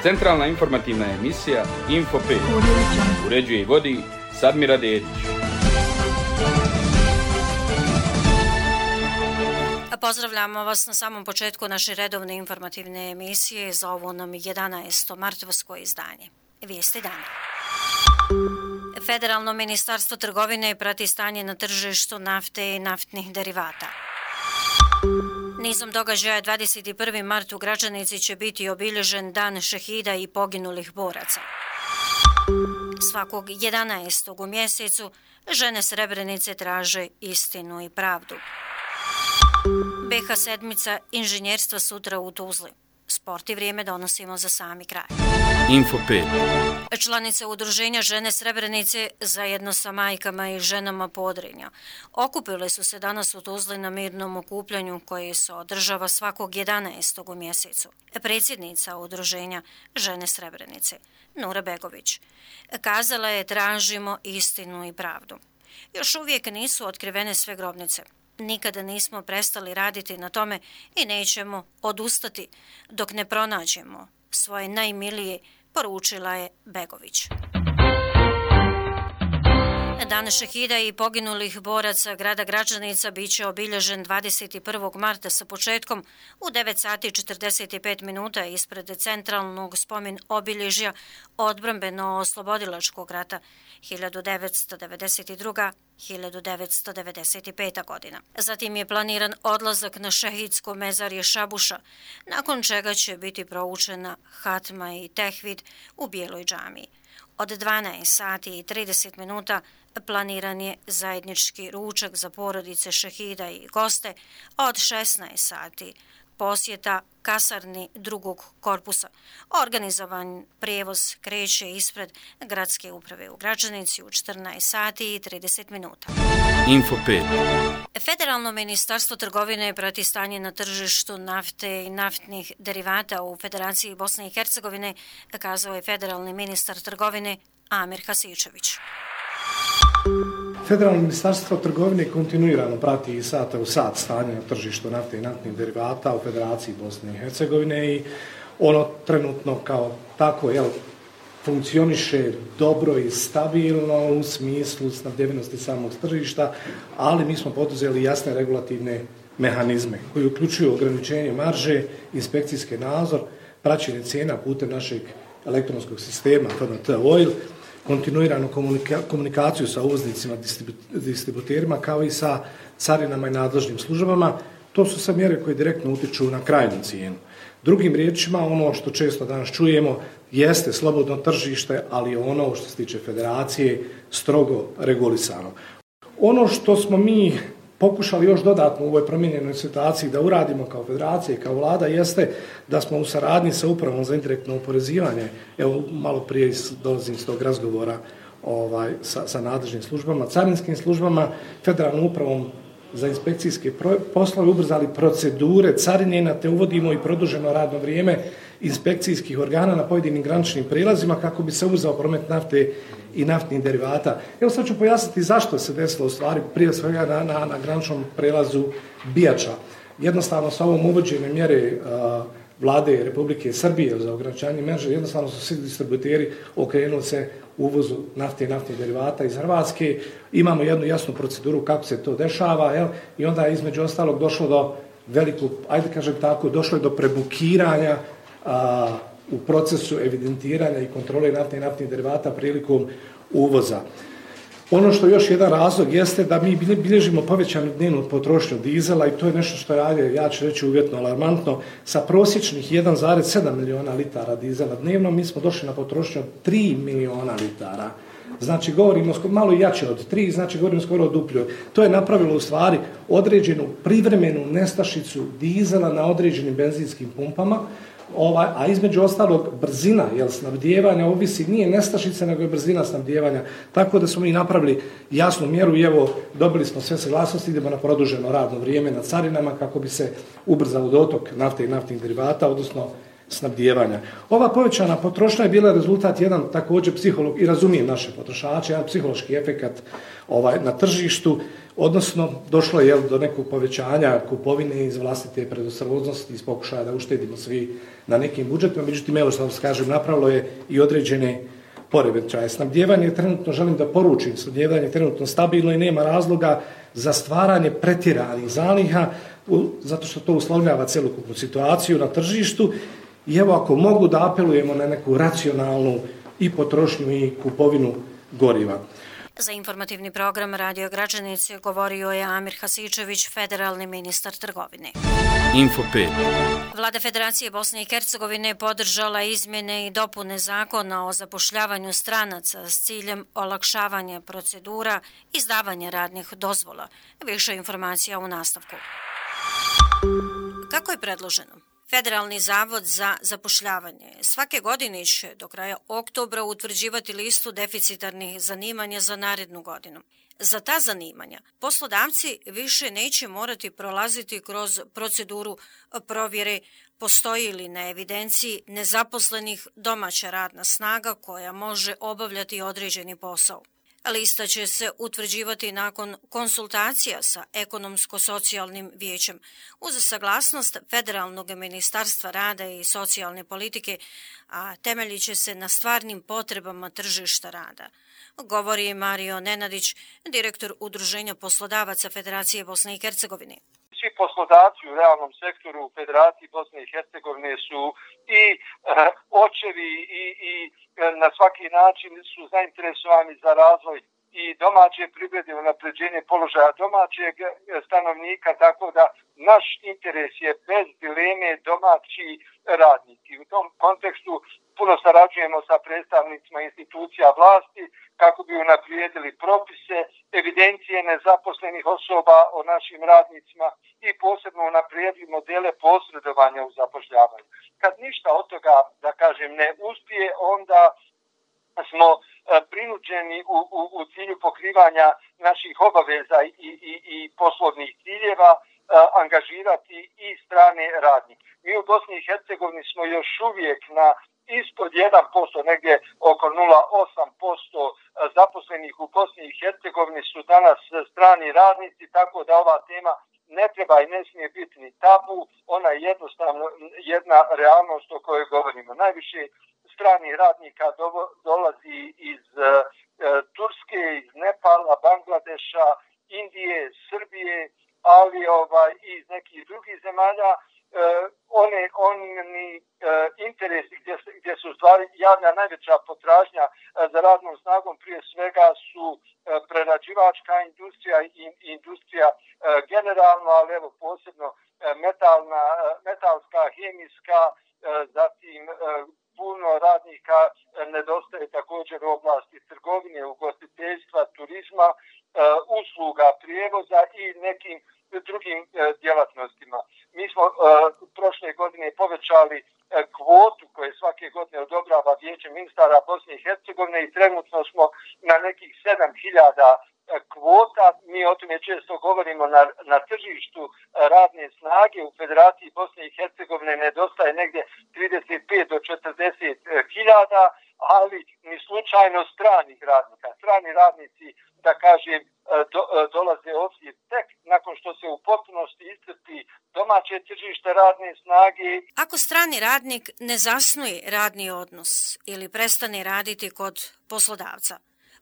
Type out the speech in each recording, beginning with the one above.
Centralna informativna emisija Info 5. Uređuje i vodi Sadmira Dedić. Pozdravljamo vas na samom početku naše redovne informativne emisije za ovo nam 11. martovsko izdanje. Vijesti dana. Federalno ministarstvo trgovine prati stanje na tržištu nafte i naftnih derivata. Nizom događaja 21. mart u Gračanici će biti obilježen dan šehida i poginulih boraca. Svakog 11. u mjesecu žene Srebrenice traže istinu i pravdu. BH sedmica inženjerstva sutra u Tuzli. Sport i vrijeme donosimo za sami kraj. Info 5. Članice udruženja Žene Srebrenice zajedno sa majkama i ženama Podrinja okupile su se danas u Tuzli na mirnom okupljanju koje se održava svakog 11. u mjesecu. Predsjednica udruženja Žene Srebrenice, Nura Begović, kazala je tražimo istinu i pravdu. Još uvijek nisu otkrivene sve grobnice. Nikada nismo prestali raditi na tome i nećemo odustati dok ne pronađemo svoje najmilije, poručila je Begović. Dan šehida i poginulih boraca grada Gračanica biće obilježen 21. marta sa početkom u 9 sati 45 minuta ispred centralnog spomen obilježja odbrambeno-oslobodilačkog rata 1992-1995. godina. Zatim je planiran odlazak na šehidsko mezarje Šabuša, nakon čega će biti proučena hatma i tehvid u Bijeloj džamiji. Od 12 sati i 30 minuta planiran je zajednički ručak za porodice šehida i goste, a od 16 sati posjeta kasarni drugog korpusa. Organizovan prijevoz kreće ispred gradske uprave u Gračanici u 14 sati i 30 minuta. Info 5. Federalno ministarstvo trgovine prati stanje na tržištu nafte i naftnih derivata u Federaciji Bosne i Hercegovine, kazao je federalni ministar trgovine Amir Hasičević. Federalno ministarstvo trgovine kontinuirano prati iz sata u sat stanje na tržištu nafte i naftnih derivata u Federaciji Bosne i Hercegovine i ono trenutno kao tako funkcioniše dobro i stabilno u smislu snabdjevenosti samog tržišta, ali mi smo poduzeli jasne regulativne mehanizme koji uključuju ograničenje marže, inspekcijski nadzor, praćenje cijena putem našeg elektronskog sistema FNT Oil, kontinuiranu komunikaciju sa uvoznicima, distributerima kao i sa carinama i nadležnim službama. To su sve mjere koje direktno utiču na krajnju cijenu. Drugim riječima, ono što često danas čujemo jeste slobodno tržište, ali ono što se tiče federacije strogo regulisano. Ono što smo mi pokušali još dodatno u ovoj promijenjenoj situaciji da uradimo kao federacija i kao vlada jeste da smo u saradnji sa upravom za indirektno oporezivanje, evo malo prije dolazim s tog razgovora sa nadležnim službama, carinskim službama, federalnom upravom za inspekcijske poslove ubrzali procedure carinjenja te uvodimo i produženo radno vrijeme inspekcijskih organa na pojedinim graničnim prijelazima kako bi se ubrzao promet nafte i naftnih derivata. Evo sad ću pojasniti zašto se desilo u stvari prije svega na graničnom prijelazu Bijača. Jednostavno sa ovom uvođenjem mjere vlade Republike Srbije za ograničenje marže, jednostavno su svi distributeri okrenuli se uvozu nafte i naftnih derivata iz Hrvatske. Imamo jednu jasnu proceduru kako se to dešava i onda je između ostalog došlo do velikog, došlo je do prebukiranja u procesu evidentiranja i kontrole nafte i naftnih derivata prilikom uvoza. Ono što još jedan razlog jeste da mi bilježimo povećanu dnevnu potrošnju dizela i to je nešto što je, ja ću reći uvjetno alarmantno, sa prosječnih 1,7 miliona litara dizela dnevno mi smo došli na potrošnju od 3 miliona litara. Znači govorimo malo jače od 3, znači govorimo skoro o duplju. To je napravilo u stvari određenu privremenu nestašicu dizela na određenim benzinskim pumpama, a između ostalog brzina snabdijevanja ovisi nije nestašica nego je brzina snabdijevanja. Tako da smo mi napravili jasnu mjeru i evo dobili smo sve saglasnosti, idemo na produženo radno vrijeme na carinama kako bi se ubrzao dotok nafte i naftnih derivata, odnosno snabdijevanja. Ova povećana potrošnja je bila rezultat jedan također i razumijem naše potrošače, jedan psihološki efekat na tržištu, odnosno došlo je do nekog povećanja kupovine iz vlastite predostrožnosti, iz pokušaja da uštedimo svi na nekim budžetima, međutim, evo što vam kažem, napravilo je i određene poremećaje. Snabdijevanje je trenutno, želim da poručim, snabdijevanje je trenutno stabilno i nema razloga za stvaranje pretjeranih zaliha, zato što to uslovljava celokupnu situaciju na tržištu. I evo, ako mogu da apelujemo na neku racionalnu i potrošnju i kupovinu goriva. Za informativni program Radio Građanice govorio je Amir Hasičević, federalni ministar trgovine. Info 5. Vlada Federacije Bosne i Hercegovine podržala izmjene i dopune zakona o zapošljavanju stranaca s ciljem olakšavanja procedura izdavanja radnih dozvola. Više informacija u nastavku. Kako je predloženo? Federalni zavod za zapošljavanje svake godine će do kraja oktobra utvrđivati listu deficitarnih zanimanja za narednu godinu. Za ta zanimanja poslodavci više neće morati prolaziti kroz proceduru provjere postoji li na evidenciji nezaposlenih domaća radna snaga koja može obavljati određeni posao. Lista će se utvrđivati nakon konsultacija sa ekonomsko-socijalnim vijećem uz saglasnost Federalnog ministarstva rada i socijalne politike, a temeljit će se na stvarnim potrebama tržišta rada. Govori Mario Nenadić, direktor Udruženja poslodavaca Federacije Bosne i Hercegovine. Svi poslodavci u realnom sektoru u Federaciji Bosne i Hercegovine su i očevi i na svaki način su zainteresovani za razvoj i domaće privrede, unapređenje položaja domaćeg stanovnika, tako da naš interes je bez dileme domaći radnik. I u tom kontekstu puno sarađujemo sa predstavnicima institucija vlasti kako bi unaprijedili propise, evidencije nezaposlenih osoba o našim radnicima i posebno unaprijedili modele posredovanja u zapošljavanju. Kad ništa od toga, da kažem, ne uspije, onda smo prinuđeni u cilju pokrivanja naših obaveza i poslovnih ciljeva angažirati i strane radnike. Mi u Bosni i Hercegovini smo još uvijek na ispod 1%, negdje oko 0,8% zaposlenih u Bosni i Hercegovini su danas strani radnici, tako da ova tema ne treba i ne smije biti ni tabu, ona je jednostavno jedna realnost o kojoj govorimo. Najviše stranih radnika dolazi iz Turske, iz Nepala, Bangladeša, Indije, Srbije, ali i iz nekih drugih zemalja. Oni interesi gdje se u stvari javlja najveća potražnja za radnom snagom prije svega su prerađivačka industrija i industrija generalno, ali evo posebno metalska, hemijska, zatim puno radnika nedostaje također u oblasti trgovine, ugostiteljstva, turizma, usluga, prijevoza i nekim drugim djelatnostima. Mi smo prošle godine povećali kvotu koje svake godine odobrava Vijeće ministara Bosne i Hercegovine i trenutno smo na nekih 7.000 kvota. Mi o tome često govorimo na tržištu radne snage. U Federaciji Bosne i Hercegovine nedostaje negdje 35 do 40.000, ali ni slučajno stranih radnika. Strani radnici, da kažem, dolaze ovdje tek nakon što se u potpunosti iscrpi domaće tržište radne snage. Ako strani radnik ne zasnuje radni odnos ili prestane raditi kod poslodavca,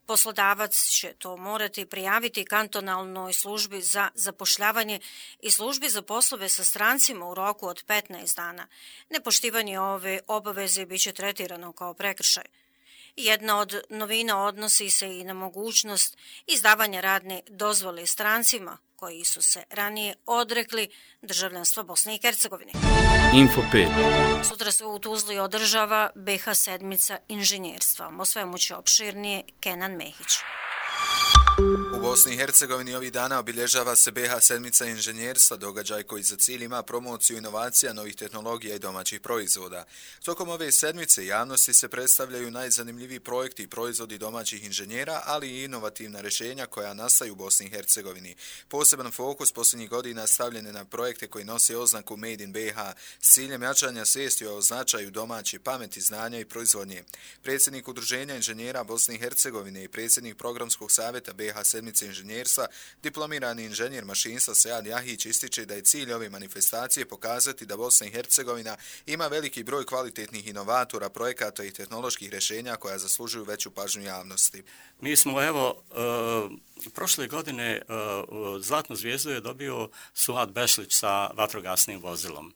poslodavac će to morati prijaviti kantonalnoj službi za zapošljavanje i službi za poslove sa strancima u roku od 15 dana. Nepoštivanje ove obaveze biće tretirano kao prekršaj. Jedna od novina odnosi se i na mogućnost izdavanja radne dozvole strancima koji su se ranije odrekli državljanstva Bosne i Hercegovine. Info 5. Sutra se u Tuzli održava BiH sedmica inženjerstva. O svemu će opširnije Kenan Mehić. U Bosni i Hercegovini ovih dana obilježava se BH sedmica inženjerstva, događaj koji za cilj ima promociju inovacija, novih tehnologija i domaćih proizvoda. Tokom ove sedmice javnosti se predstavljaju najzanimljiviji projekti i proizvodi domaćih inženjera, ali i inovativna rješenja koja nastaju u Bosni i Hercegovini. Poseban fokus posljednjih godina stavljen je na projekte koji nose oznaku Made in BH s ciljem jačanja svijesti o značaju domaće pameti, znanja i proizvodnje. Predsjednik Udruženja inženjera Bosne i Hercegovine i predsjednik Programskog savjeta BH sedmice inženjerstva, diplomirani inženjer mašinstva Sead Jahić ističe da je cilj ove manifestacije pokazati da Bosna i Hercegovina ima veliki broj kvalitetnih inovatora, projekata i tehnoloških rješenja koja zaslužuju veću pažnju javnosti. Mi smo prošle godine zlatnu zvijezdu je dobio Suad Bešlić sa vatrogasnim vozilom.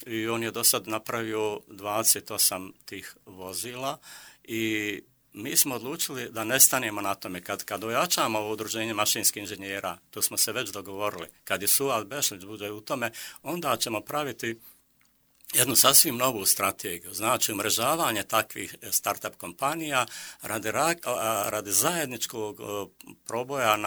I on je do sad napravio 28 tih vozila i mi smo odlučili da ne stanemo na tome. Kad ojačamo ovo udruženje mašinskih inženjera, to smo se već dogovorili, kad je Suad Bešlić bude u tome, onda ćemo praviti jednu sasvim novu strategiju, znači umrežavanje takvih startup kompanija radi zajedničkog proboja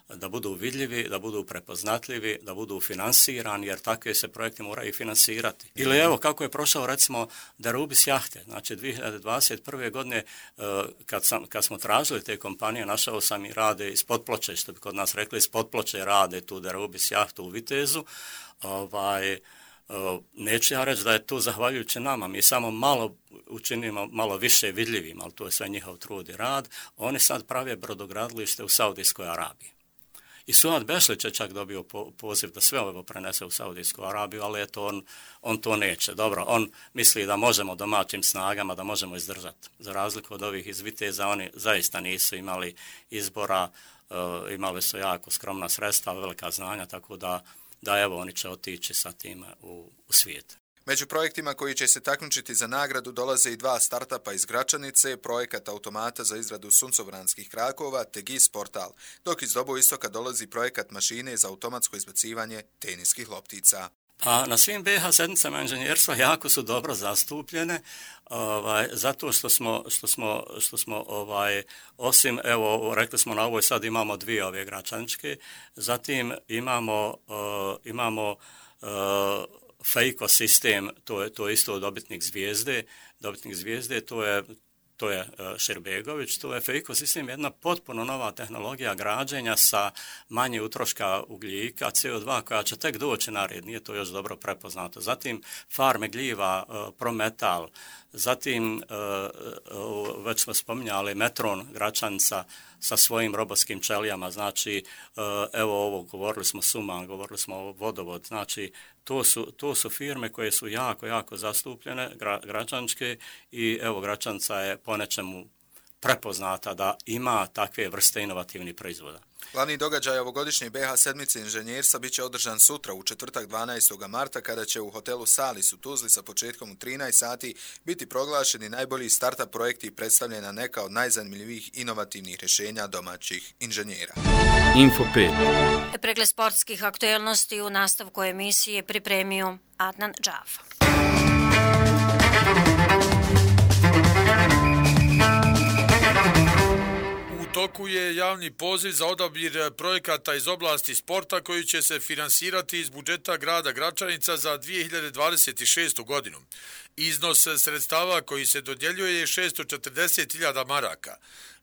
da budu vidljivi, da budu prepoznatljivi, da budu finansirani, jer takve se projekte moraju finansirati. Ili evo kako je prošao recimo Derubis jahte, znači 2021. godine kad smo tražili te kompanije, našao sam i rade iz Potploče, što bi kod nas rekli, iz Potploče rade tu Derubis jahtu u Vitezu, neću ja reći da je to zahvaljujući nama, mi samo malo učinimo malo više vidljivim, ali to je sve njihov trud i rad. Oni sad prave brodogradilište u Saudijskoj Arabiji. I Suad Bešlić je čak dobio poziv da sve ovo prenese u Saudijsku Arabiju, ali eto on to neće. Dobro, on misli da možemo domaćim snagama, da možemo izdržati. Za razliku od ovih iz Viteza, oni zaista nisu imali izbora, imali su jako skromna sredstva, velika znanja, tako da evo oni će otići sa tim u svijet. Među projektima koji će se takmičiti za nagradu dolaze i dva startupa iz Gračanice, projekat automata za izradu suncobranskih krakova te GIS portal, dok iz Doboistoka dolazi projekat mašine za automatsko izbacivanje teniskih loptica. Pa na svim BH sedmicama inženjerstva jako su dobro zastupljene, zato što smo osim, evo, rekli smo na ovoj sad imamo dvije ove gračaničke, zatim imamo Fejko sistem, to je isto dobitnik zvijezde, to je Širbegović, to je Fejko sistem, jedna potpuno nova tehnologija građenja sa manje utroška ugljika, CO2 koja će tek doći na red, nije to još dobro prepoznato. Zatim farme gljiva, Prometal, zatim već smo spominjali Metron Gračanica sa svojim robotskim čelijama, znači evo ovo, govorili smo Suman, govorili smo o Vodovod, znači to su firme koje su jako zastupljene, gračaničke, i evo Gračanica je po nečemu prepoznata da ima takve vrste inovativnih proizvoda. Glavni događaj ovogodišnje BH sedmice inženjerstva biće održan sutra u četvrtak 12. marta kada će u hotelu Salis u Tuzli sa početkom u 13 sati biti proglašeni najbolji startup projekti i predstavljena neka od najzanimljivijih inovativnih rješenja domaćih inženjera. Info 5. Pregled sportskih aktuelnosti u nastavku emisije pripremio Adnan Džafa. U toku je javni poziv za odabir projekata iz oblasti sporta koji će se finansirati iz budžeta grada Gračanica za 2026. godinu. Iznos sredstava koji se dodjeljuje je 640.000 maraka.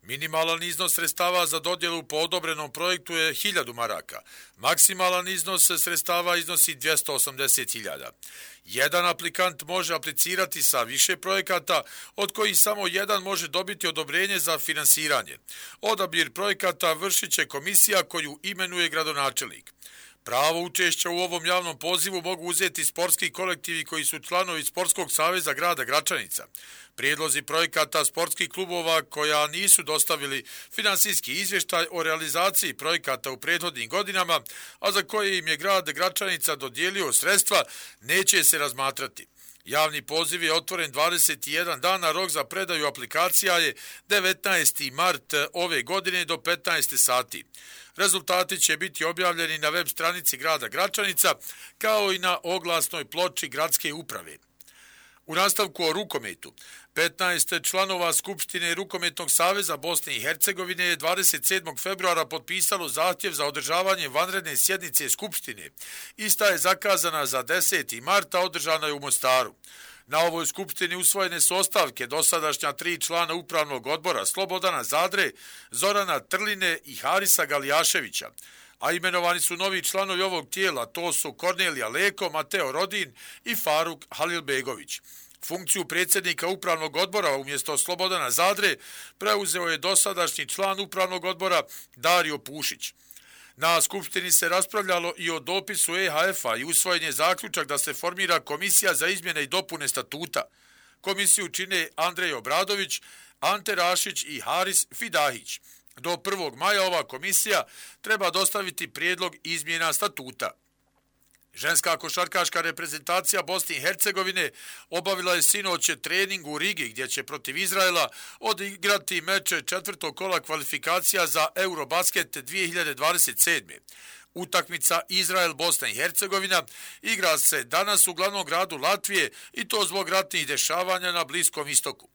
Minimalan iznos sredstava za dodjelu po odobrenom projektu je 1000 maraka. Maksimalan iznos sredstava iznosi 280.000. Jedan aplikant može aplicirati sa više projekata, od kojih samo jedan može dobiti odobrenje za finansiranje. Odabir projekata vršit će komisija koju imenuje gradonačelnik. Pravo učešća u ovom javnom pozivu mogu uzeti sportski kolektivi koji su članovi Sportskog saveza grada Gračanica. Prijedlozi projekata sportskih klubova koja nisu dostavili finansijski izvještaj o realizaciji projekata u prethodnim godinama, a za koje im je grad Gračanica dodijelio sredstva, neće se razmatrati. Javni poziv je otvoren 21 dana, rok za predaju aplikacija je 19. mart ove godine do 15 sati. Rezultati će biti objavljeni na web stranici grada Gračanica kao i na oglasnoj ploči gradske uprave. U nastavku o rukometu, 15 članova Skupštine Rukometnog saveza Bosne i Hercegovine je 27. februara potpisalo zahtjev za održavanje vanredne sjednice Skupštine. Ista je zakazana za 10. marta, održana je u Mostaru. Na ovoj skupštini usvojene su ostavke dosadašnja 3 člana upravnog odbora Slobodana Zadre, Zorana Trline i Harisa Galijaševića. A imenovani su novi članovi ovog tijela, to su Kornelija Leko, Mateo Rodin i Faruk Halilbegović. Funkciju predsjednika upravnog odbora umjesto Slobodana Zadre preuzeo je dosadašnji član upravnog odbora Dario Pušić. Na skupštini se raspravljalo i o dopisu EHF-a i usvojen je zaključak da se formira komisija za izmjene i dopune statuta. Komisiju čine Andrej Obradović, Ante Rašić i Haris Fidahić. Do 1. maja ova komisija treba dostaviti prijedlog izmjena statuta. Ženska košarkaška reprezentacija Bosne i Hercegovine obavila je sinoć trening u Rigi gdje će protiv Izraela odigrati meč 4. kola kvalifikacija za Eurobasket 2027. Utakmica Izrael-Bosna i Hercegovina igra se danas u glavnom gradu Latvije i to zbog ratnih dešavanja na Bliskom istoku.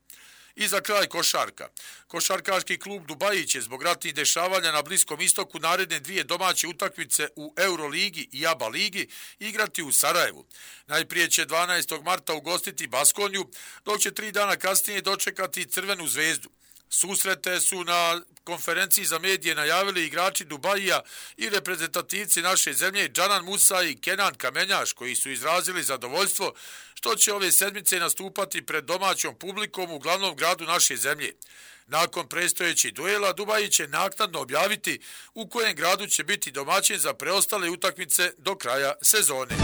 I za kraj košarka. Košarkaški klub Dubaji će zbog ratnih dešavanja na Bliskom istoku naredne 2 domaće utakmice u Euroligi i ABA ligi igrati u Sarajevu. Najprije će 12. marta ugostiti Baskoniju, dok će 3 dana kasnije dočekati Crvenu zvezdu. Susrete su na konferenciji za medije najavili igrači Dubajija i reprezentativci naše zemlje Džanan Musa i Kenan Kamenjaš, koji su izrazili zadovoljstvo što će ove sedmice nastupati pred domaćom publikom u glavnom gradu naše zemlje. Nakon predstojećih duela, Dubaji će naknadno objaviti u kojem gradu će biti domaćin za preostale utakmice do kraja sezone.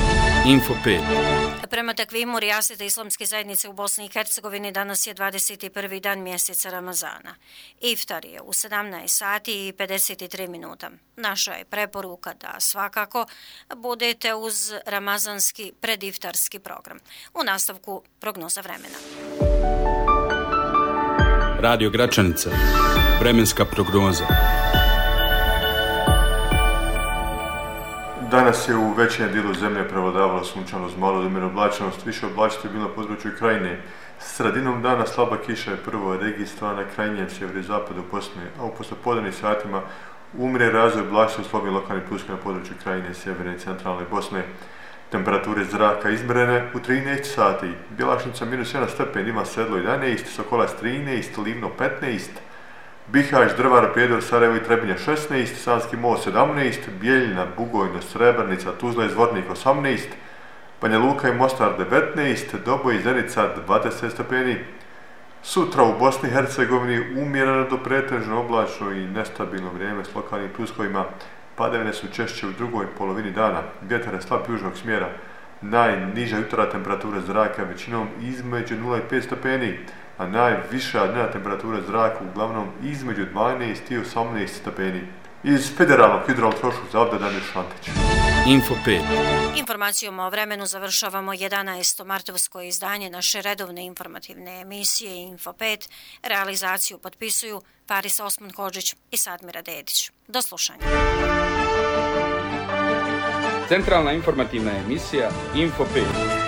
Info 5. Prema takvimu Rijaseta Islamske zajednice u Bosni i Hercegovini danas je 21. dan mjeseca Ramazana. Iftar je u 17 sati i 53 minuta. Naša je preporuka da svakako budete uz ramazanski prediftarski program. U nastavku prognoza vremena. Radio Gračanica. Vremenska prognoza. Danas je u većem dijelu zemlje prevladavalo sunčanost, malo odmjerena oblačenost, više oblačiti je bilo na području Krajine. Sredinom dana slaba kiša je prvo registrovana na krajnjem sjeverozapadu Bosne, a u poslijepodnevnim satima umire razvoj oblačenosti slabih lokalnih pluska na području Krajine, sjeverne i centralne Bosne. Temperature zraka izmjerene u 13 sati. Bjelašnica -1 stepen, ima Sedlo 11, Sokolac 13, Livno 15, Bihać, Drvar, Prijedor, Sarajevo i Trebinje 16, Sanski most 17, Bijeljina, Bugojno, Srebrnica, Tuzla i Zvornik 18, Banja Luka i Mostar 19, Doboj i Zenica 20 stepeni. Sutra u Bosni i Hercegovini umjereno do pretežno oblačno i nestabilno vrijeme s lokalnim pljuskovima. Padavine su češće u drugoj polovini dana. Vjetar je slab južnog smjera. Najniža jutarnja temperatura zraka većinom između 0 i 5 stepeni, a najviša dnevna temperatura zraka uglavnom između 12 i 18 stepeni. Iz Federalnog hidrometeorološkog zavoda Damir Šantić. Info 5. Informacijom o vremenu završavamo 11. martovsko izdanje naše redovne informativne emisije Info 5. Realizaciju potpisuju Paris Osman Hodžić i Sadmira Dedić. Do slušanja. Centralna informativna emisija Info 5.